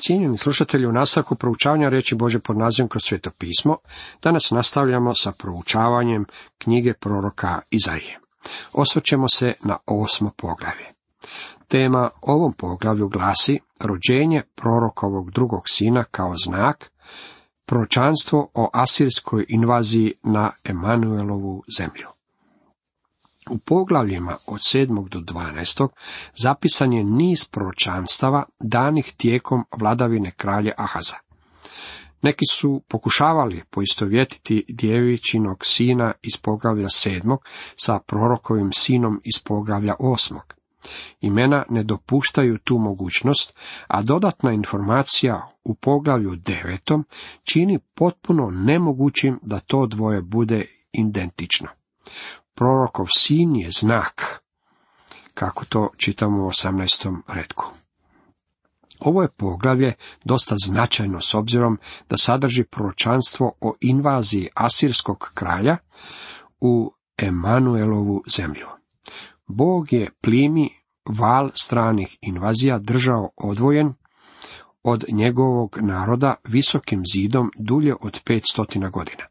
Cijenjeni slušatelji, u nastavku proučavanja riječi Božje pod nazivom Kroz sveto pismo, danas nastavljamo sa proučavanjem knjige proroka Izaije. Osvrćemo se na 8. poglavlje. Tema ovom poglavlju glasi rođenje prorokovog drugog sina kao znak, proročanstvo o asirskoj invaziji na Emanuelovu zemlju. U poglavljima od 7. do 12. zapisan je niz proročanstava danih tijekom vladavine kralja Ahaza. Neki su pokušavali poistovjetiti djevičinog sina iz poglavlja 7. sa prorokovim sinom iz poglavlja 8. Imena ne dopuštaju tu mogućnost, a dodatna informacija u poglavlju 9. čini potpuno nemogućim da to dvoje bude identično. Prorokov sin je znak, kako to čitamo u 18. retku. Ovo je poglavlje dosta značajno s obzirom da sadrži proročanstvo o invaziji asirskog kralja u Emanuelovu zemlju. Bog je plimi val stranih invazija držao odvojen od njegovog naroda visokim zidom dulje od 500 godina.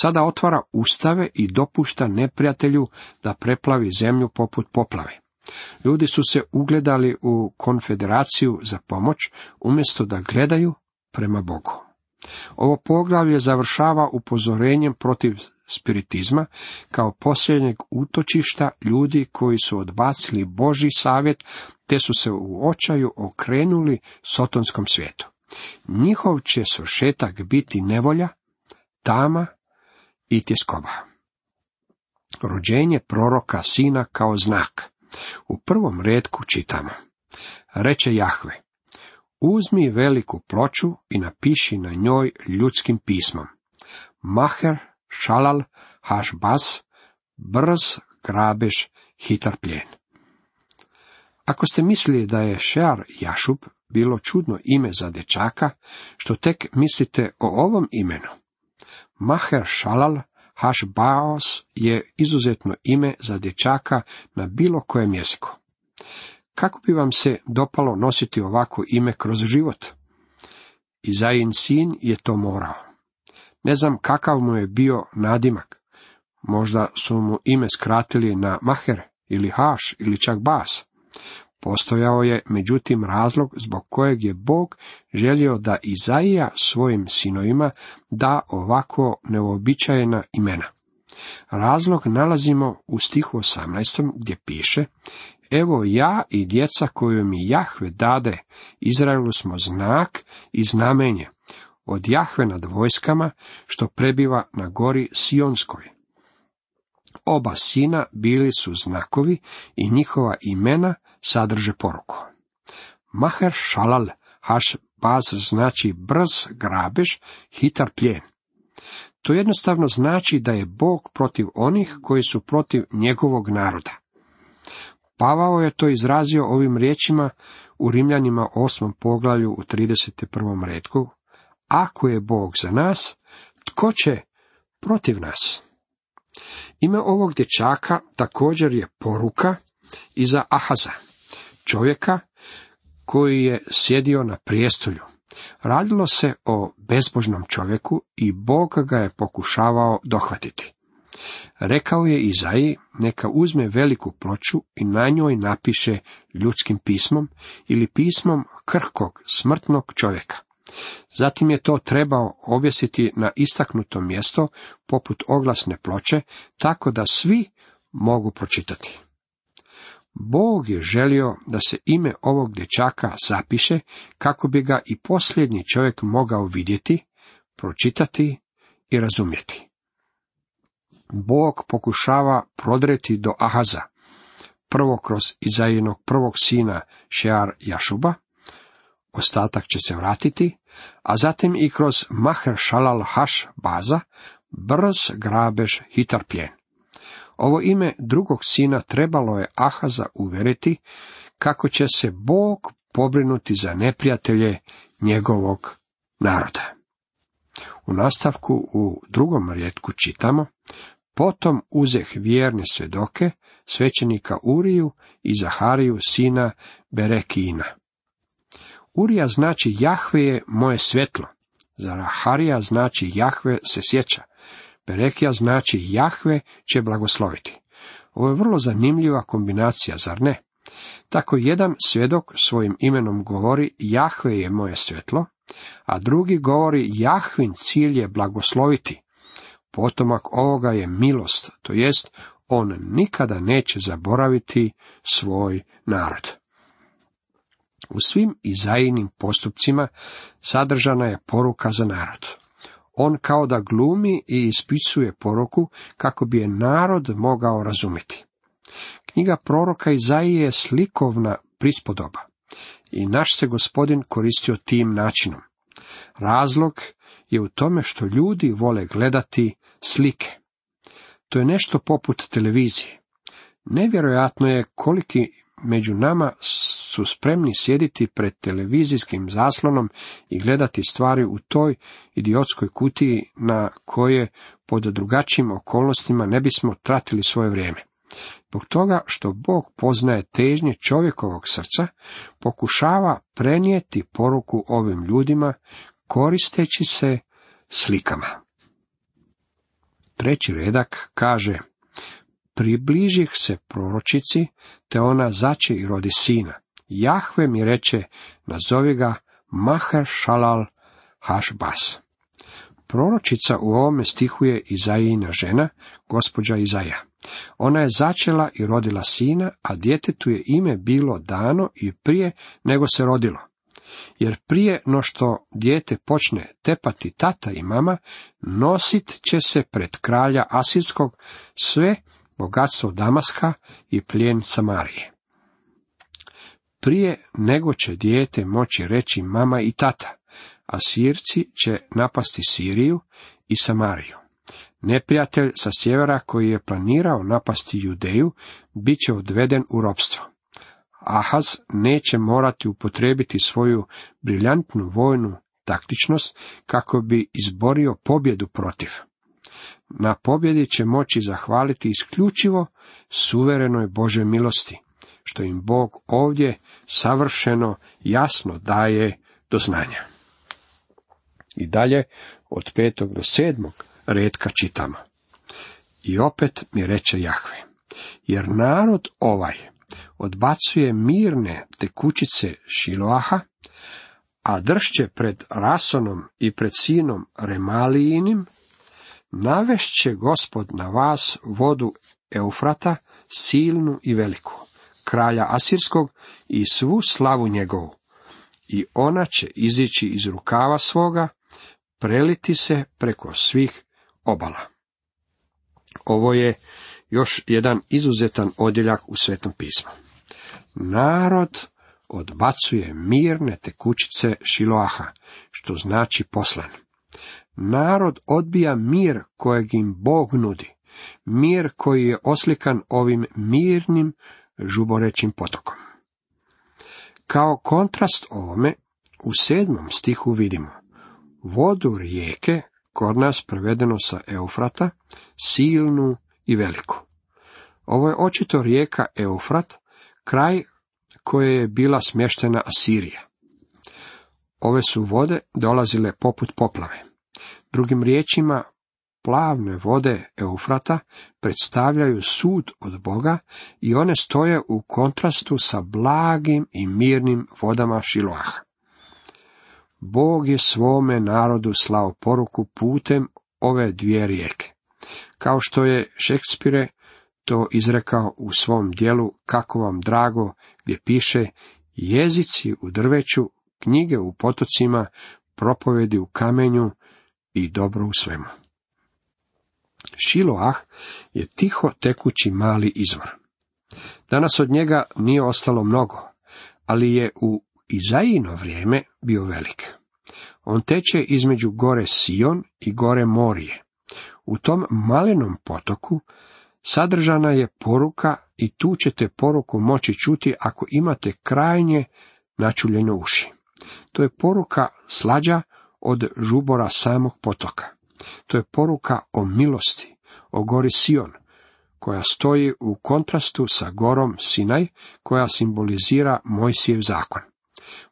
Sada otvara ustave i dopušta neprijatelju da preplavi zemlju poput poplave. Ljudi su se ugledali u konfederaciju za pomoć, umjesto da gledaju prema Bogu. Ovo poglavlje završava upozorenjem protiv spiritizma kao posljednjeg utočišta ljudi koji su odbacili Božji savjet te su se u očaju okrenuli sotonskom svijetu. Njihov će svršetak biti nevolja, tama i tjeskoba. Rođenje proroka sina kao znak. U prvom retku čitamo: reče Jahve, uzmi veliku ploču i napiši na njoj ljudskim pismom: Maher šalal hašbaz, brz grabež, hitar plijen. Ako ste mislili da je Šear Jašub bilo čudno ime za dječaka, što tek mislite o ovom imenu? Maher šalal hašbaos je izuzetno ime za dječaka na bilo kojem jeziku. Kako bi vam se dopalo nositi ovako ime kroz život? Izajin sin je to morao. Ne znam kakav mu je bio nadimak. Možda su mu ime skratili na Maher ili Haš ili čak Bas. Postojao je međutim razlog zbog kojeg je Bog želio da Izaija svojim sinovima da ovako neuobičajena imena. Razlog nalazimo u stihu 18. gdje piše: evo ja i djeca koju mi Jahve dade Izraelu smo znak i znamenje od Jahve nad vojskama što prebiva na gori Sionskoj. Oba sina bili su znakovi i njihova imena sadrže poruku. Maher šalal hašbaz znači brz grabež, hitar plijen. To jednostavno znači da je Bog protiv onih koji su protiv njegovog naroda. Pavao je to izrazio ovim riječima u Rimljanima 8. poglavlju u 31. retku: ako je Bog za nas, tko će protiv nas? Ime ovog dječaka također je poruka i za Ahaza, čovjeka koji je sjedio na prijestolju. Radilo se o bezbožnom čovjeku i Bog ga je pokušavao dohvatiti. Rekao je Izaiji neka uzme veliku ploču i na njoj napiše ljudskim pismom ili pismom krhkog, smrtnog čovjeka. Zatim je to trebao objesiti na istaknuto mjesto poput oglasne ploče, tako da svi mogu pročitati. Bog je želio da se ime ovog dječaka zapiše kako bi ga i posljednji čovjek mogao vidjeti, pročitati i razumjeti. Bog pokušava prodreti do Ahaza, prvo kroz Izaijinog prvog sina Šear Jašuba, ostatak će se vratiti, a zatim i kroz Maher šalal haš baza, brz grabež, hitar plijen. Ovo ime drugog sina trebalo je Ahaza uvjeriti kako će se Bog pobrinuti za neprijatelje njegovog naroda. U nastavku u 2. retku čitamo: potom uzeh vjerne svjedoke, svećenika Uriju i Zahariju sina Berekijina. Urija znači Jahve je moje svjetlo. Zaharija znači Jahve se sjeća. Berekija znači Jahve će blagosloviti. Ovo je vrlo zanimljiva kombinacija, zar ne? Tako jedan svjedok svojim imenom govori Jahve je moje svjetlo, a drugi govori Jahvin cilj je blagosloviti. Potomak ovoga je milost, to jest on nikada neće zaboraviti svoj narod. U svim Izaijinim postupcima sadržana je poruka za narod. On kao da glumi i ispisuje poruku kako bi je narod mogao razumjeti. Knjiga proroka Izaije je slikovna prispodoba i naš se Gospodin koristio tim načinom. Razlog je u tome što ljudi vole gledati slike. To je nešto poput televizije. Nevjerojatno je koliki među nama su spremni sjediti pred televizijskim zaslonom i gledati stvari u toj idiotskoj kutiji na koje pod drugačijim okolnostima ne bismo tratili svoje vrijeme. Zbog toga što Bog poznaje težnje čovjekovog srca, pokušava prenijeti poruku ovim ljudima koristeći se slikama. 3. redak kaže: približih se proročici, te ona zače i rodi sina. Jahve mi reče, nazovi ga Maher Shalal Hašbas. Proročica u ovome stihu je Izajina žena, gospođa Izaja. Ona je začela i rodila sina, a djetetu je ime bilo dano i prije nego se rodilo. Jer prije no što dijete počne tepati tata i mama, nosit će se pred kralja Asirskog sve bogatstvo Damaska i plijen Samarije. Prije nego će dijete moći reći mama i tata, Asirci će napasti Siriju i Samariju. Neprijatelj sa sjevera koji je planirao napasti Judeju, bit će odveden u ropstvo. Ahaz neće morati upotrijebiti svoju briljantnu vojnu taktičnost kako bi izborio pobjedu protiv. Na pobjedi će moći zahvaliti isključivo suverenoj Božoj milosti, što im Bog ovdje savršeno jasno daje do znanja. I dalje od 5. do 7. retka čitamo. I opet mi reče Jahve, jer narod ovaj odbacuje mirne tekućice Šiloaha, a dršće pred Rasonom i pred sinom Remalijinim, navešće Gospod na vas vodu Eufrata, silnu i veliku, kralja Asirskog i svu slavu njegovu, i ona će izići iz rukava svoga, preliti se preko svih obala. Ovo je još jedan izuzetan odjeljak u Svetom pismu. Narod odbacuje mirne tekućice Šiloaha, što znači poslan. Narod odbija mir kojeg im Bog nudi, mir koji je oslikan ovim mirnim žuborećim potokom. Kao kontrast ovome, u 7. stihu vidimo vodu rijeke, kod nas prevedeno sa Eufrata, silnu i veliku. Ovo je očito rijeka Eufrat, kraj koje je bila smještena Asirija. Ove su vode dolazile poput poplave. Drugim riječima, plavne vode Eufrata predstavljaju sud od Boga i one stoje u kontrastu sa blagim i mirnim vodama Šiloaha. Bog je svome narodu slao poruku putem ove dvije rijeke. Kao što je Šekspire to izrekao u svom djelu Kako vam drago, gdje piše jezici u drveću, knjige u potocima, propovedi u kamenju i dobro u svemu. Šiloah je tiho tekući mali izvor. Danas od njega nije ostalo mnogo, ali je u Izajino vrijeme bio velik. On teče između gore Sion i gore Morije. U tom malenom potoku sadržana je poruka i tu ćete poruku moći čuti ako imate krajnje načuljene uši. To je poruka slađa od žubora samog potoka. To je poruka o milosti, o gori Sion, koja stoji u kontrastu sa gorom Sinaj, koja simbolizira Mojsijev zakon.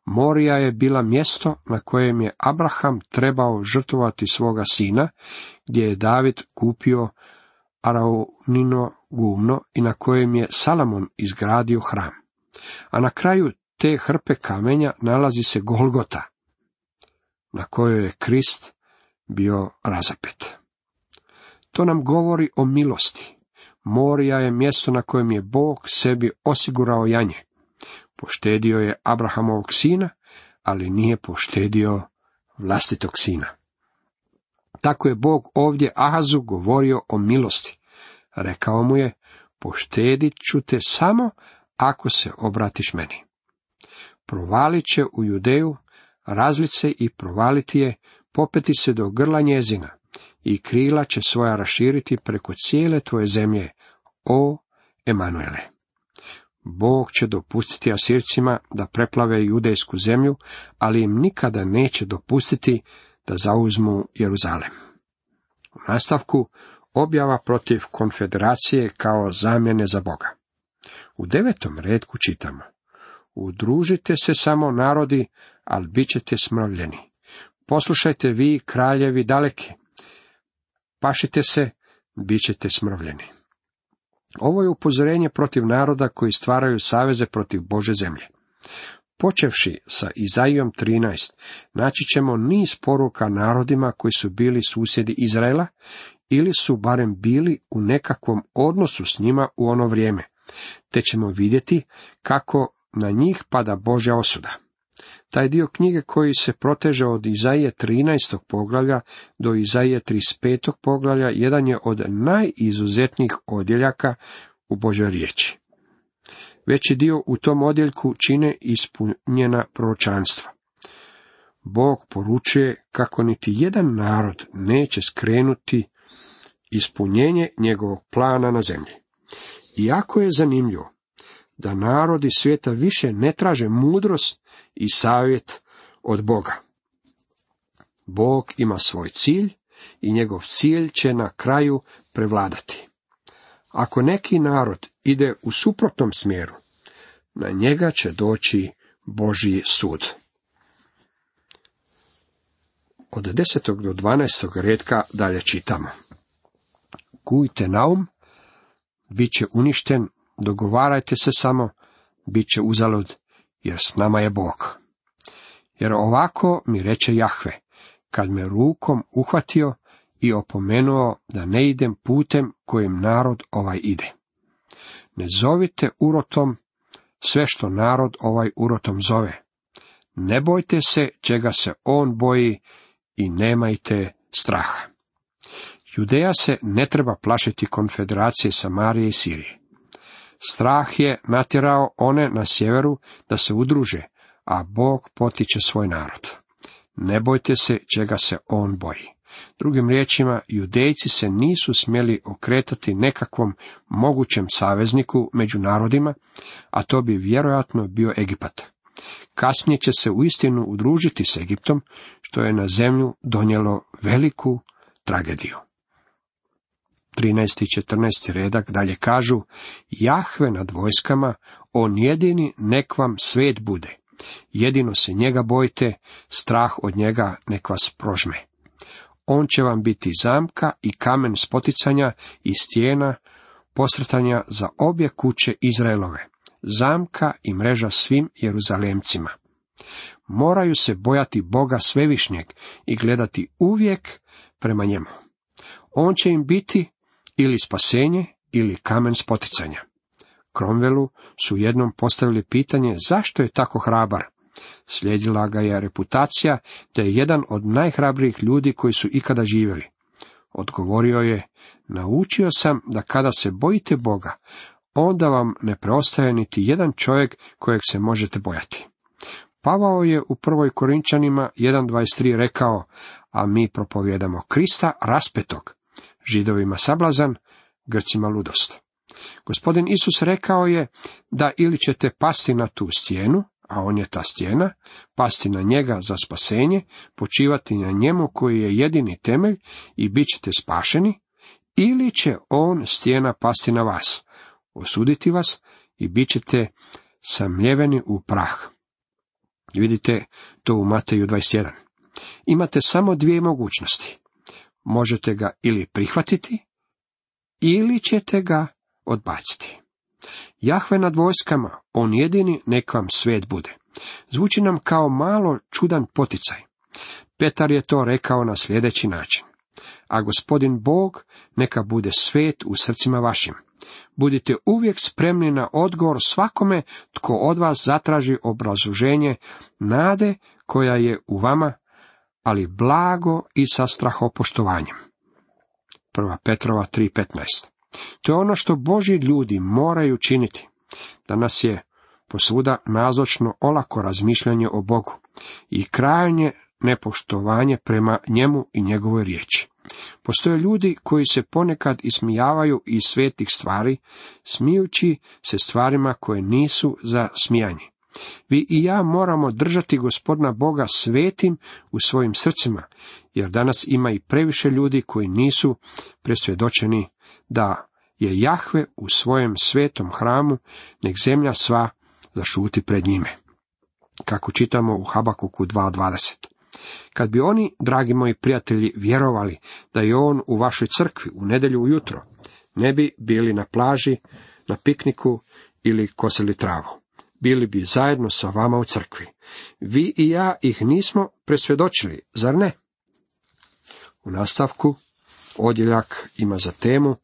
Morija je bila mjesto na kojem je Abraham trebao žrtvovati svoga sina, gdje je David kupio Araunino gumno i na kojem je Salomon izgradio hram. A na kraju te hrpe kamenja nalazi se Golgota, na kojoj je Krist bio razapet. To nam govori o milosti. Morija je mjesto na kojem je Bog sebi osigurao janje. Poštedio je Abrahamovog sina, ali nije poštedio vlastitog sina. Tako je Bog ovdje Ahazu govorio o milosti. Rekao mu je, poštedit ću te samo ako se obratiš meni. Provalit će u Judeju, razlit se i provaliti je, popeti se do grla njezina, i krila će svoja raširiti preko cijele tvoje zemlje, o Emanuele. Bog će dopustiti Asircima da preplave judejsku zemlju, ali im nikada neće dopustiti da zauzmu Jeruzalem. U nastavku objava protiv konfederacije kao zamjene za Boga. U 9. retku čitamo: udružite se samo narodi, ali bit ćete smrvljeni. Poslušajte vi, kraljevi daleki, pašite se, bit ćete smrvljeni. Ovo je upozorenje protiv naroda koji stvaraju saveze protiv Božje zemlje. Počevši sa Izaijom 13, naći ćemo niz poruka narodima koji su bili susjedi Izraela, ili su barem bili u nekakvom odnosu s njima u ono vrijeme, te ćemo vidjeti kako na njih pada Božja osuda. Taj dio knjige koji se proteže od Izaije 13. poglavlja do Izaije 35. poglavlja jedan je od najizuzetnijih odjeljaka u Božjoj riječi. Veći dio u tom odjeljku čine ispunjena proročanstva. Bog poručuje kako niti jedan narod neće skrenuti ispunjenje njegovog plana na zemlji. Iako je zanimljivo da narodi svijeta više ne traže mudrost i savjet od Boga. Bog ima svoj cilj i njegov cilj će na kraju prevladati. Ako neki narod ide u suprotnom smjeru, na njega će doći Božji sud. Od 10. do 12. retka dalje čitamo: kujte naum, bit će uništen, dogovarajte se samo, bit će uzalud, jer s nama je Bog. Jer ovako mi reče Jahve, kad me rukom uhvatio i opomenuo da ne idem putem kojim narod ovaj ide. Ne zovite urotom sve što narod ovaj urotom zove. Ne bojte se čega se on boji i nemajte straha. Judeja se ne treba plašiti konfederacije Samarije i Sirije. Strah je natjerao one na sjeveru da se udruže, a Bog potiče svoj narod. Ne bojte se čega se on boji. Drugim riječima, Judejci se nisu smjeli okretati nekakvom mogućem savezniku među narodima, a to bi vjerojatno bio Egipat. Kasnije će se uistinu udružiti s Egiptom, što je na zemlju donijelo veliku tragediju. 13. i 14. redak dalje kažu: Jahve nad vojskama, on jedini nek vam svet bude. Jedino se njega bojte, strah od njega nek vas prožme. On će vam biti zamka i kamen spoticanja i stijena posretanja za obje kuće Izraelove, zamka i mreža svim Jeruzalemcima. Moraju se bojati Boga svevišnjeg i gledati uvijek prema njemu. On će im biti ili spasenje ili kamen spoticanja. Cromwellu su jednom postavili pitanje zašto je tako hrabar. Slijedila ga je reputacija da je jedan od najhrabrijih ljudi koji su ikada živjeli. Odgovorio je: naučio sam da kada se bojite Boga, onda vam ne preostaje niti jedan čovjek kojeg se možete bojati. Pavao je u 1. Korinčanima 1.23 rekao: a mi propovijedamo Krista raspetog, Židovima sablazan, Grcima ludost. Gospodin Isus rekao je da ili ćete pasti na tu stijenu, a on je ta stijena, pasti na njega za spasenje, počivati na njemu koji je jedini temelj i bit ćete spašeni, ili će on, stijena, pasti na vas, osuditi vas i bit ćete samljeveni u prah. Vidite to u Mateju 21. Imate samo dvije mogućnosti. Možete ga ili prihvatiti, ili ćete ga odbaciti. Jahve nad vojskama, on jedini, nek vam svet bude. Zvuči nam kao malo čudan poticaj. Petar je to rekao na sljedeći način. A Gospodin Bog neka bude svet u srcima vašim. Budite uvijek spremni na odgovor svakome tko od vas zatraži obrazloženje nade koja je u vama, ali blago i sa strahopoštovanjem. 1. Petrova 3.15. To je ono što Božji ljudi moraju činiti. Danas je posvuda nazočno olako razmišljanje o Bogu i krajnje nepoštovanje prema njemu i njegovoj riječi. Postoje ljudi koji se ponekad ismijavaju iz svetih stvari, smijući se stvarima koje nisu za smijanje. Vi i ja moramo držati Gospodina Boga svetim u svojim srcima, jer danas ima i previše ljudi koji nisu presvjedočeni da je Jahve u svojem svetom hramu, nek zemlja sva zašuti pred njime. Kako čitamo u Habakuku 2.20. Kad bi oni, dragi moji prijatelji, vjerovali da je on u vašoj crkvi u nedjelju ujutro, ne bi bili na plaži, na pikniku ili kosili travu. Bili bi zajedno sa vama u crkvi. Vi i ja ih nismo presvjedočili, zar ne? U nastavku odjeljak ima za temu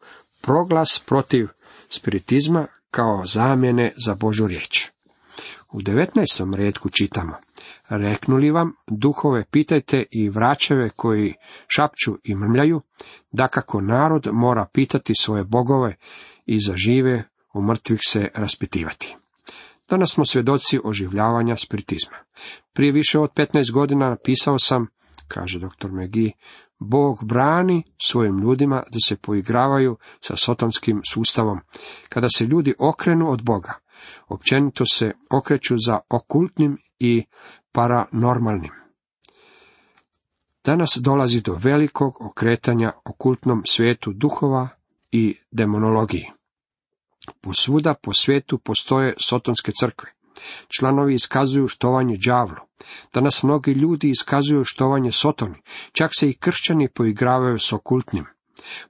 proglas protiv spiritizma kao zamjene za Božju riječ. U 19. retku čitamo: reknuli vam, duhove pitajte i vraćeve koji šapću i mrmljaju, dakako narod mora pitati svoje bogove i za žive u mrtvih se raspitivati. Danas smo svjedoci oživljavanja spiritizma. Prije više od 15 godina napisao sam, kaže dr. McGee, Bog brani svojim ljudima da se poigravaju sa sotonskim sustavom. Kada se ljudi okrenu od Boga, općenito se okreću za okultnim i paranormalnim. Danas dolazi do velikog okretanja okultnom svijetu duhova i demonologiji. Posvuda po svijetu postoje sotonske crkve. Članovi iskazuju štovanje đavlu. Danas mnogi ljudi iskazuju štovanje sotoni, čak se i kršćani poigravaju s okultnim.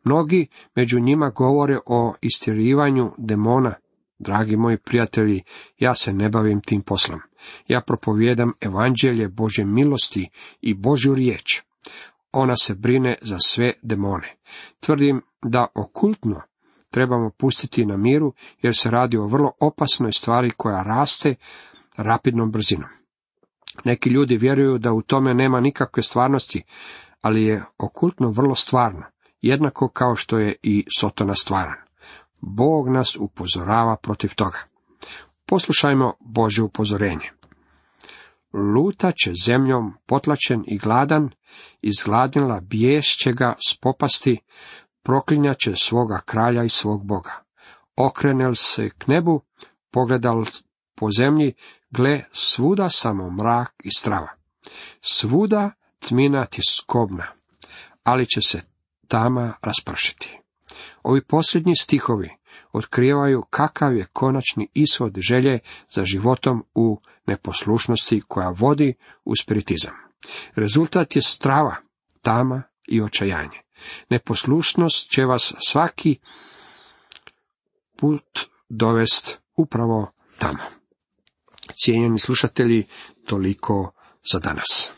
Mnogi među njima govore o istjerivanju demona. Dragi moji prijatelji, ja se ne bavim tim poslom. Ja propovijedam evanđelje Božje milosti i Božju riječ. Ona se brine za sve demone. Tvrdim da okultno trebamo pustiti na miru, jer se radi o vrlo opasnoj stvari koja raste rapidnom brzinom. Neki ljudi vjeruju da u tome nema nikakve stvarnosti, ali je okultno vrlo stvarno, jednako kao što je i sotona stvaran. Bog nas upozorava protiv toga. Poslušajmo Božje upozorenje. Lutat će zemljom potlačen i gladan, izgladnila bijes će ga spopasti, proklinjat će svoga kralja i svog Boga. Okrenel se k nebu, pogledal po zemlji, gle, svuda samo mrak i strava. Svuda tmina tiskobna, ali će se tama raspršiti. Ovi posljednji stihovi otkrivaju kakav je konačni ishod želje za životom u neposlušnosti koja vodi u spiritizam. Rezultat je strava, tama i očajanje. Neposlušnost će vas svaki put dovest upravo tamo. Cijenjeni slušatelji, toliko za danas.